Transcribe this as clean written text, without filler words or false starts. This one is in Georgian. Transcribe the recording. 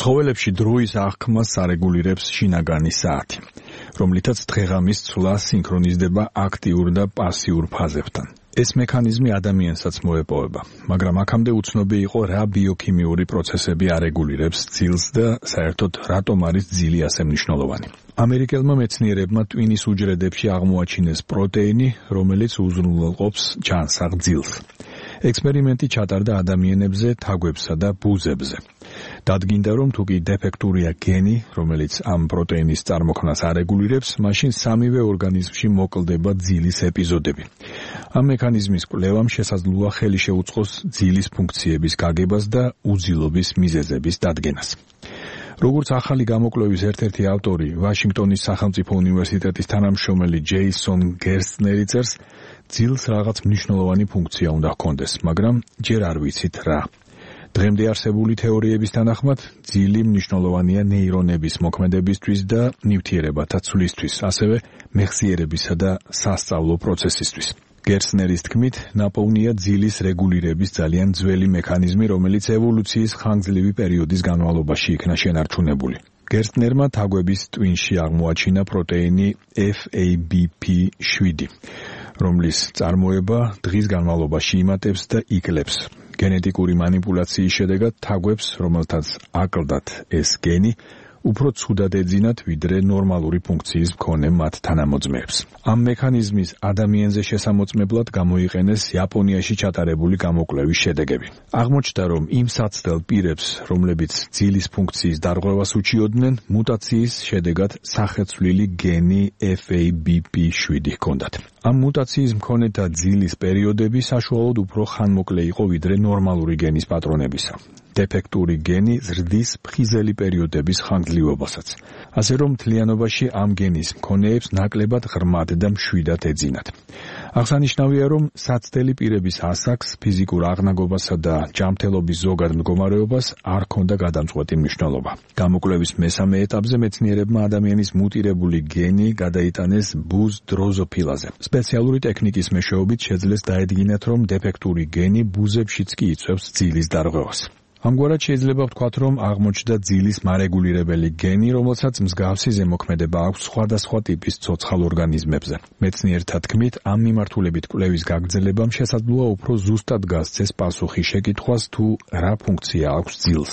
ცხოველებში დროის აღქმას არეგულირებს შინაგანი საათი, რომლითაც დღეღამის ცვლა სინქრონიზდება აქტიურ და პასიურ ფაზებთან. ეს მექანიზმი ადამიანსაც მოეპოვება, მაგრამ აქამდე უცნობი იყო რა ბიოქიმიური პროცესები არეგულირებს ძილს და საერთოდ რატომ არის ძილი ასე მნიშვნელოვანი. ამერიკელმა მეცნიერებმა ტვინის უჯრედებში აღმოაჩინეს პროტეინი, რომელიც უზრუნველყოფს ჯანსაღ ძილს. ექსპერიმენტი ჩატარდა ადამიანებზე, თაგვებსა და ბუზებზე. დადგინდა, რომ თუ კი დეფექტურია გენი, რომელიც ამ პროტეინის წარმოქმნას არეგულირებს, მაშინ სამივე ორგანიზმში მოკლდება ძილის ეპიზოდები. ამ მექანიზმის კვლევამ შესაძლოა ხელი შეუწყოს ძილის ფუნქციების გაგებას და უძილობის მიზეზების დადგენას. როგორც ახალი გამოკვლევის ერთ-ერთი ავტორი, ვაშინგტონის სახელმწიფო უნივერსიტეტის თანამშრომელი ჯეისონ გერსნერი წერს, ძილს რაღაც მნიშვნელოვანი ფუნქცია უნდა ჰქონდეს, მაგრამ ჯერ არ ვიცით რა. დღემდე არსებული თეორიების თანახმად, ძილი მნიშვნელოვანია ნეირონების მოქმედებისთვის და ნივთიერებათა ცვლისთვის, ასევე მეხსიერებისა და სასწავლო პროცესისთვის. გერსნერის თქმით, ნაპოვნია ძილის რეგულირების ძალიან ძველი მექანიზმი, რომელიც ევოლუციის ხანგრძლივი პერიოდის განმავლობაში იქნა შენარჩუნებული. გერსნერმა თაგვების ტვინში აღმოაჩინა პროტეინი FABP7, რომლის წარმოება დღის განმავლობაში იმატებს და იკლებს. გენეტიკური მანიპულაციის შედეგად თაგვებს, რომელთაც აკლდათ ეს გენი, უფრო ცუდად ეძინათ, ვიდრე ნორმალური ფუნქციის მქონე მათ თანამოძმეებს. ამ მექანიზმის ადამიანზე შესამოწმებლად გამოიყენეს იაპონიაში ჩატარებული გამოკვლევის შედეგები. აღმოჩნდა, რომ იმ საცდელ პირებს, რომლებიც ძილის ფუნქციის დარღვევას უჩიოდნენ, მუტაციის შედეგად სახეცვლილი გენი FABP7 ჰქონდათ. ამ მუტაციის მქონეთა ძილის პერიოდები საშუალოდ უფრო ხანმოკლე იყო, ვიდრე ნორმალური გენის პატრონებისა. დეფექტური გენი ზრდის ფხიზელი პერიოდების ხანგრძლივობასაც. ასე რომ მთლიანობაში ამ გენის მქონეებს ნაკლებად ღრმად და მშვიდად ეძინათ. აღსანიშნავია, რომ საცდელი პირების ასაკს, ფიზიკურ აღნაგობასა და ჯანმრთელობის ზოგად მდგომარეობას არ ჰქონდა გადამწყვეტი მნიშვნელობა. გამოკვლევის მესამე ეტაპზე მეცნიერებმა ადამიანის მუტირებული გენი გადაიტანეს ბუზ დროზოფილაზე. სპეციალური ტექნიკის მეშვეობით შეძლეს დაედგინათ, რომ დეფექტური გენი ბუზებშიც კი იწვევს ძილის დარღვევას. ამგვარად შეიძლება ვთქვათ, რომ აღმოჩნდა ძილის მარეგულირებელი გენი, რომელსაც მსგავსი ზემოქმედება აქვს სხვადასხვა ტიპის ცოცხალ ორგანიზმებზე. მეცნიერთა თქმით, ამ მიმართულებით კვლევის გაგრძელებამ შესაძლოა უფრო ზუსტად გასცეს პასუხი შეკითხვას, თუ რა ფუნქცია აქვს ძილს.